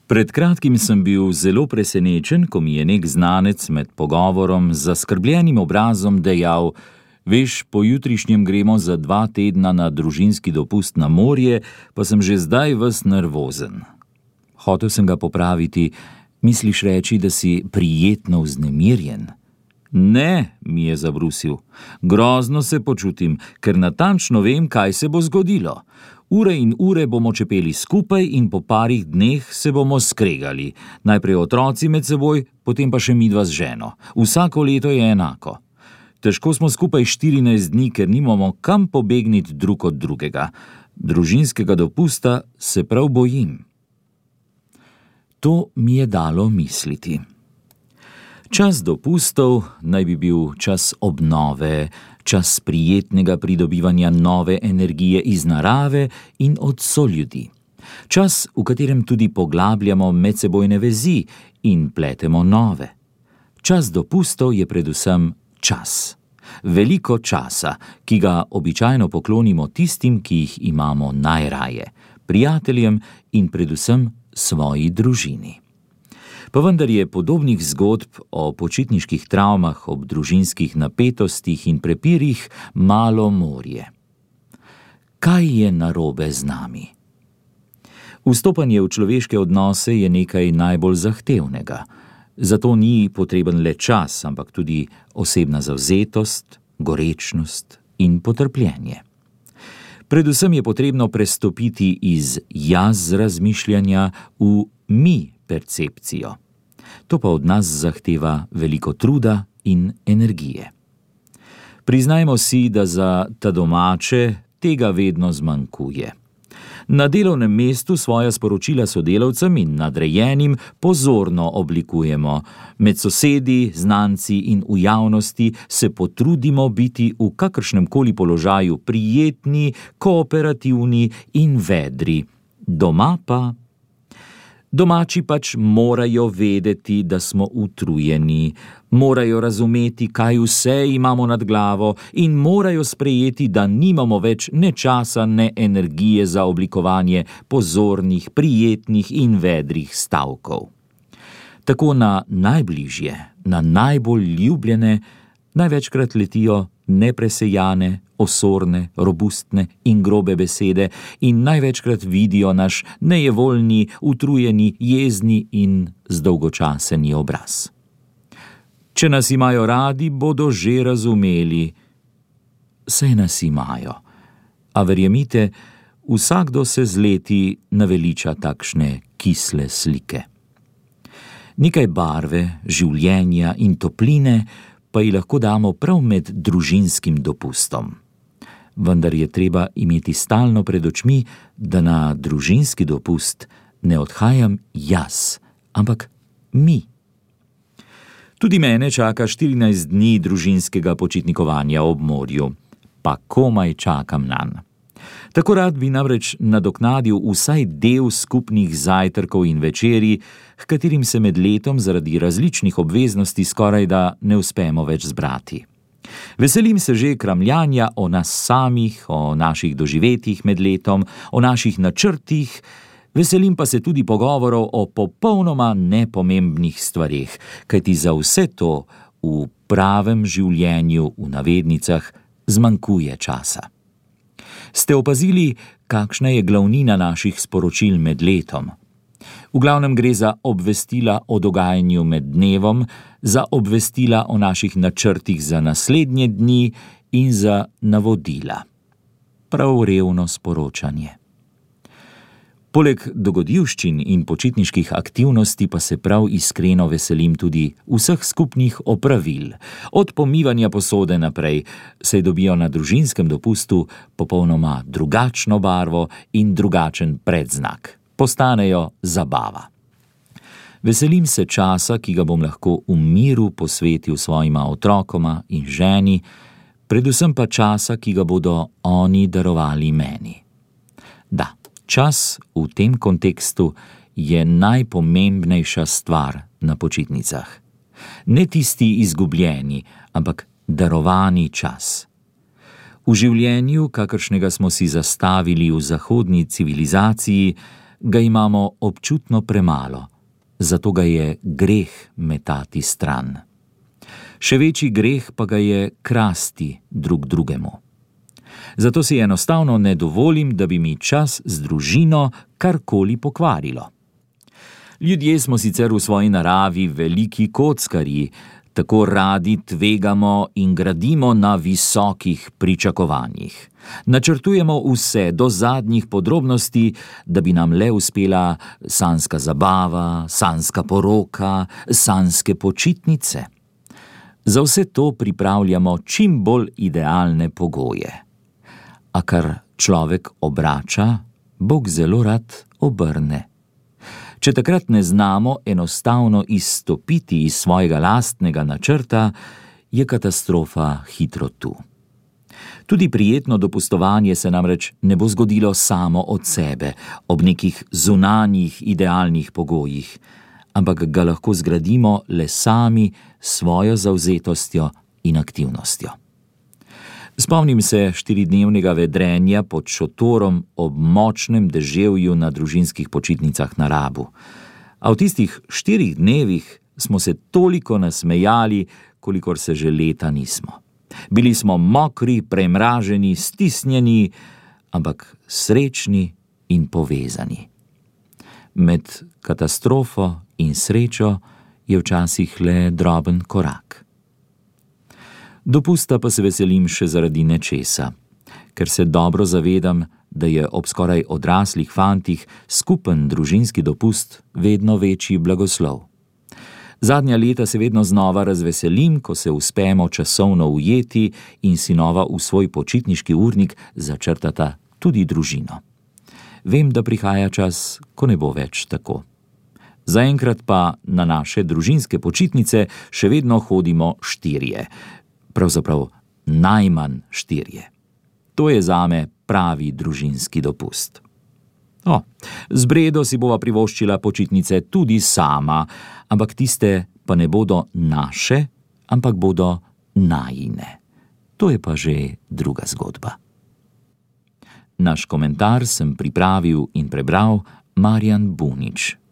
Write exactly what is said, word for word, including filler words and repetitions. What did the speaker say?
Pred kratkim sem bil zelo presenečen, ko mi je nek znanec med pogovorom z zaskrbljenim obrazom dejal: veš, pojutrišnjem gremo za dva tedna na družinski dopust na morje, pa sem že zdaj ves nervozen. Hotel sem ga popraviti: misliš reči, da si prijetno vznemirjen? Ne, mi je zabrusil. Grozno se počutim, ker natančno vem, kaj se bo zgodilo. Ure in ure bomo čepeli skupaj in po parih dneh se bomo skregali. Najprej otroci med seboj, potem pa še midva z ženo. Vsako leto je enako. Težko smo skupaj štirinajst dni, ker nimamo kam pobegniti drug od drugega. Družinskega dopusta se prav bojim. To mi je dalo misliti. Čas dopustov naj bi bil čas obnove, čas prijetnega pridobivanja nove energije iz narave in od soljudi. Čas, v katerem tudi poglabljamo medsebojne vezi in pletemo nove. Čas dopustov je predvsem čas. Veliko časa, ki ga običajno poklonimo tistim, ki jih imamo najraje, prijateljem in predvsem svoji družini. Pa vendar je podobnih zgodb o počitniških travmah ob družinskih napetostih in prepirih malo morje. Kaj je narobe z nami? Vstopanje v človeške odnose je nekaj najbolj zahtevnega. Zato ni potreben le čas, ampak tudi osebna zavzetost, gorečnost in potrpljenje. Predvsem je potrebno prestopiti iz jaz razmišljanja v mi percepcijo. To pa od nas zahteva veliko truda in energije. Priznajmo si, da za ta domače tega vedno zmanjkuje. Na delovnem mestu svoja sporočila sodelavcem in nadrejenim pozorno oblikujemo. Med sosedi, znanci in v javnosti se potrudimo biti v kakršnemkoli položaju prijetni, kooperativni in vedri. Doma pa... Domači pač morajo vedeti, da smo utrujeni, morajo razumeti, kaj vse imamo nad glavo in morajo sprejeti, da nimamo več ne časa, ne energije za oblikovanje pozornih, prijetnih in vedrih stavkov. Tako na najbližje, na najbolj ljubljene, največkrat letijo nepresejane, osorne, robustne in grobe besede in največkrat vidijo naš nejevoljni, utrujeni, jezni in zdolgočaseni obraz. Če nas imajo radi, bodo že razumeli. Saj nas imajo. A verjemite, vsakdo se z leti naveliča takšne kisle slike. Nekaj barve, življenja in topline pa ji lahko damo prav med družinskim dopustom. Vendar je treba imeti stalno pred očmi, da na družinski dopust ne odhajam jaz, ampak mi. Tudi mene čaka štirinajst dni družinskega počitnikovanja ob morju, pa komaj čakam nanj. Tako rad bi namreč nadoknadil vsaj del skupnih zajtrkov in večerij, h katerim se med letom zaradi različnih obveznosti skorajda ne uspemo več zbrati. Veselim se že kramljanja o nas samih, o naših doživetjih med letom, o naših načrtih, veselim pa se tudi pogovorov o popolnoma nepomembnih stvareh, kajti za vse to v pravem življenju v navednicah zmanjkuje časa. Ste opazili, kakšna je glavnina naših sporočil med letom? V glavnem gre za obvestila o dogajanju med dnevom, za obvestila o naših načrtih za naslednje dni in za navodila. Prav revno sporočanje. Poleg dogodivščin in počitniških aktivnosti pa se prav iskreno veselim tudi vseh skupnih opravil. Od pomivanja posode naprej, saj dobijo na družinskem dopustu popolnoma drugačno barvo in drugačen predznak. Postanejo zabava. Veselim se časa, ki ga bom lahko v miru posvetil svojima otrokoma in ženi, predvsem pa časa, ki ga bodo oni darovali meni. Da, čas v tem kontekstu je najpomembnejša stvar na počitnicah. Ne tisti izgubljeni, ampak darovani čas. V življenju, kakršnega smo si zastavili v zahodni civilizaciji, ga imamo občutno premalo, zato ga je greh metati stran. Še večji greh pa ga je krasti drug drugemu. Zato si enostavno ne dovolim, da bi mi čas z družino karkoli pokvarilo. Ljudje smo sicer v svoji naravi veliki kockarji, tako radi tvegamo in gradimo na visokih pričakovanjih. Načrtujemo vse do zadnjih podrobnosti, da bi nam le uspela sanjska zabava, sanjska poroka, sanjske počitnice. Za vse to pripravljamo čim bolj idealne pogoje. A kar človek obrača, Bog zelo rad obrne. Če takrat ne znamo enostavno izstopiti iz svojega lastnega načrta, je katastrofa hitro tu. Tudi prijetno dopustovanje se namreč ne bo zgodilo samo od sebe, ob nekih zunanjih idealnih pogojih, ampak ga lahko zgradimo le sami s svojo zavzetostjo in aktivnostjo. Spomnim se štiridnevnega vedrenja pod šotorom ob močnem deževju na družinskih počitnicah na Rabu. A v tistih štirih dnevih smo se toliko nasmejali, kolikor se že leta nismo. Bili smo mokri, premraženi, stisnjeni, ampak srečni in povezani. Med katastrofo in srečo je včasih le droben korak. Dopusta pa se veselim še zaradi nečesa, ker se dobro zavedam, da je ob skoraj odraslih fantih skupen družinski dopust vedno večji blagoslov. Zadnja leta se vedno znova razveselim, ko se uspemo časovno ujeti in sinova v svoj počitniški urnik začrtata tudi družino. Vem, da prihaja čas, ko ne bo več tako. Zaenkrat pa na naše družinske počitnice še vedno hodimo štirje. Pravzaprav najmanj štirje. To je zame pravi družinski dopust. O, z Bredo si bova privoščila počitnice tudi sama, ampak tiste pa ne bodo naše, ampak bodo najine. To je pa že druga zgodba. Naš komentar sem pripravil in prebral Marjan Bunič.